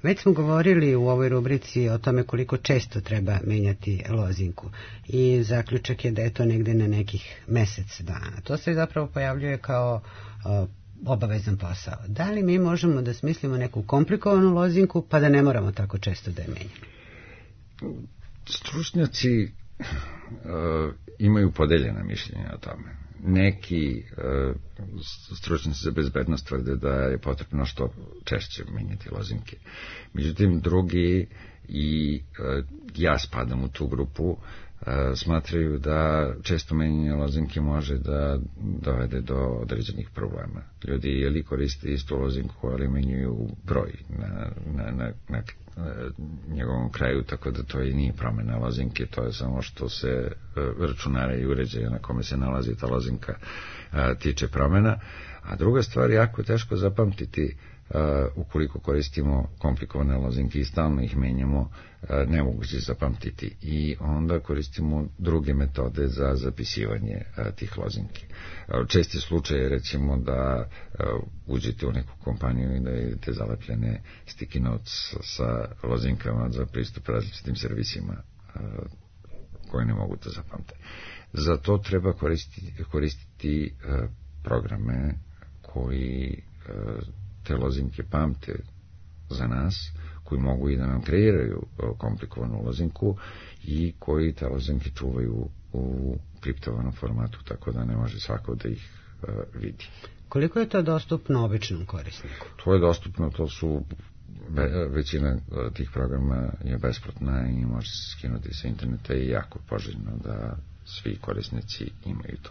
Već smo govorili u ovoj rubrici o tome koliko često treba menjati lozinku i zaključak je da je to negde na nekih mesec dana. To se zapravo pojavljuje kao obavezan posao. Da li mi možemo da smislimo neku komplikovanu lozinku pa da ne moramo tako često da je menjamo? Stručnjaci imaju podeljena mišljenja o tome. Neki stručnjaci za bezbednost tvrde da je potrebno što češće menjati lozinke. Međutim, drugi, i ja spadam u tu grupu, smatraju da često menjanje lozinke može da dovede do određenih problema. Ljudi ili koriste istu lozinku, ali menjaju broj na njegovom kraju, tako da to i nije promjena lozinke, to je samo što se računara i uređaja na kome se nalazi ta lozinka tiče promjena. A druga stvar, jako je teško zapamtiti ukoliko koristimo komplikovane lozinke i stalno ih menjamo, nemoguće zapamtiti, i onda koristimo druge metode za zapisivanje tih lozinki. Česti slučaj je, recimo, da uđete u neku kompaniju i da vidite zalepljene sticky notes sa lozinkama za pristup različitim servisima koje ne mogu da zapamte. Za to treba koristiti programe koji te lozinke pamte za nas, koji mogu i da nam kreiraju komplikovanu lozinku i koji te lozinke čuvaju u kriptovanom formatu, tako da ne može svako da ih vidi. Koliko je to dostupno običnom korisniku? To je dostupno, to su većina tih programa je besplatna i može se skinuti sa interneta i jako poželjno da svi korisnici imaju to.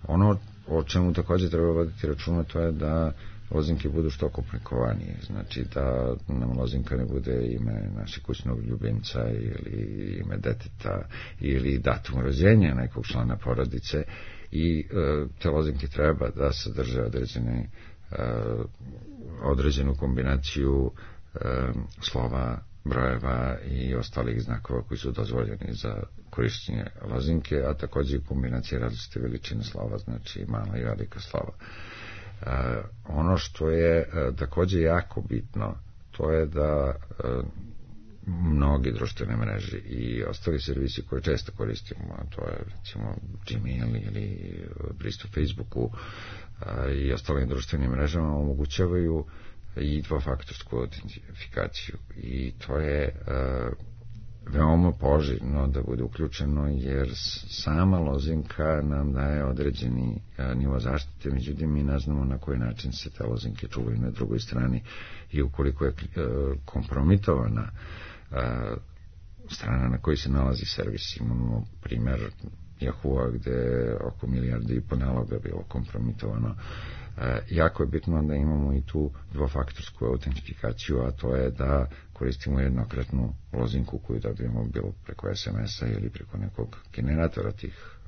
Ono o čemu također treba voditi računa, to je da lozinke budu što komplikovanije, znači da nam lozinka ne bude ime našeg kućnog ljubimca ili ime deteta ili datum rođenja nekog člana porodice, i te lozinke treba da sadrže određenu kombinaciju slova, brojeva i ostalih znakova koji su dozvoljeni za korišćenje lozinke, a također i kombinacije različite veličine slova, znači mala i velika slova. Ono što je također jako bitno, to je da mnogi društvene mreže i ostali servisi koje često koristimo, a to je recimo Gmail ili pristup Facebooku i ostalim društvenim mrežama, omogućavaju i dvofaktorsku autentifikaciju, i to je veoma poželjno da bude uključeno, jer sama lozinka nam daje određeni nivo zaštite, međutim mi ne znamo na koji način se te lozinke čuvaju na drugoj strani, i ukoliko je kompromitovana strana na kojoj se nalazi servis. Imamo primjer Yahoo-a gde je oko 1,5 milijarde naloga bilo kompromitovano. Jako je bitno da imamo i tu dvofaktorsku autentifikaciju, a to je da koristimo jednokratnu lozinku koju dobijemo bilo preko SMS-a ili preko nekog generatora tih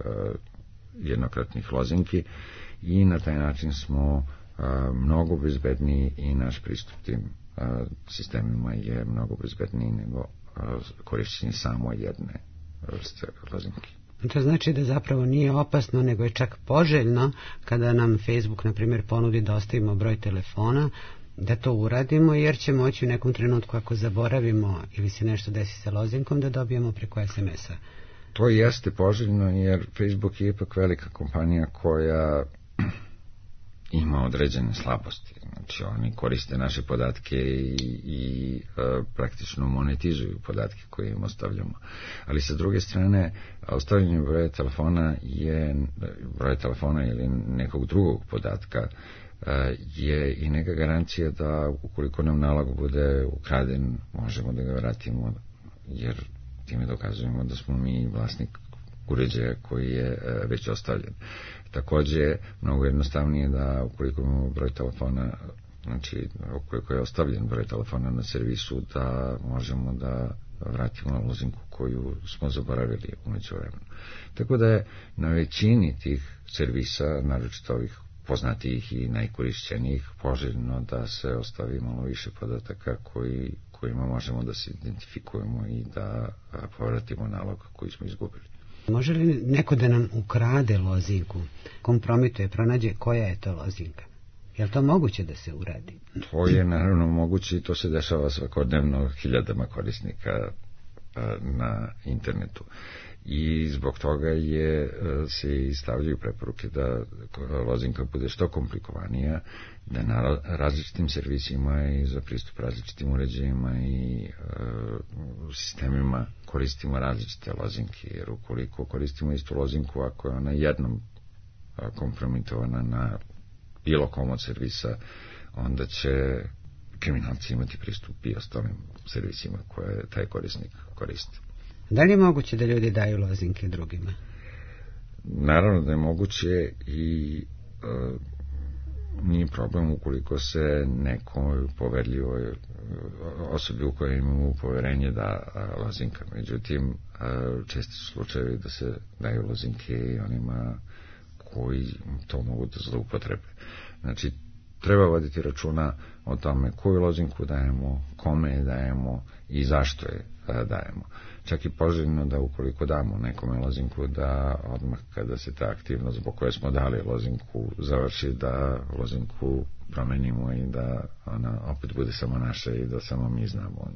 jednokratnih lozinki, i na taj način smo mnogo bezbedniji i naš pristup tim sistemima je mnogo bezbedniji nego korišćenje samo jedne vrste lozinki. To znači da zapravo nije opasno, nego je čak poželjno kada nam Facebook, na primjer, ponudi da ostavimo broj telefona, da to uradimo, jer će moći u nekom trenutku, ako zaboravimo ili se nešto desi sa lozinkom, da dobijemo preko SMS-a. To jeste poželjno, jer Facebook je ipak velika kompanija koja ima određene slabosti. Znači, oni koriste naše podatke i praktično monetizuju podatke koje im ostavljamo. Ali sa druge strane, ostavljanje broja telefona ili nekog drugog podatka je i neka garancija da ukoliko nam nalog bude ukraden, možemo da ga vratimo, jer time dokazujemo da smo mi vlasnik uređaja koji je već ostavljen. Također, mnogo jednostavnije da ukoliko imamo broj telefona, znači ukoliko je ostavljen broj telefona na servisu, da možemo da vratimo lozinku koju smo zaboravili u međuvremenu. Tako da je na većini tih servisa, naročito ovih poznatijih i najkorišćenijih, poželjno da se ostavi malo više podataka kojima možemo da se identifikujemo i da povratimo nalog koji smo izgubili. Može li neko da nam ukrade lozinku, kompromituje, pronađe koja je to lozinka Je li to moguće da se uradi? To je naravno moguće i to se dešava svakodnevno hiljadama korisnika na internetu. I zbog toga se i stavljaju preporuke da lozinka bude što komplikovanija, da na različitim servisima i za pristup različitim uređajima i sistemima koristimo različite lozinke, jer ukoliko koristimo istu lozinku, ako je ona jednom kompromitovana na bilo kom od servisa, onda će kriminalci imati pristup i ostalim servisima koje taj korisnik koristi. Da li je moguće da ljudi daju lozinke drugima? Naravno da je moguće i nije problem ukoliko se nekoj poverljivoj osobi u kojoj imamo poverenje da lozinka. Međutim, česti su slučajevi da se daju lozinke i onima koji to mogu da zloupotrebe. Znači, treba voditi računa o tome koju lozinku dajemo, kome je dajemo i zašto je dajemo. Čak i poželjno da ukoliko damo nekome lozinku, da odmah kada se ta aktivnost zbog koje smo dali lozinku završi, da lozinku promenimo i da ona opet bude samo naša i da samo mi znamo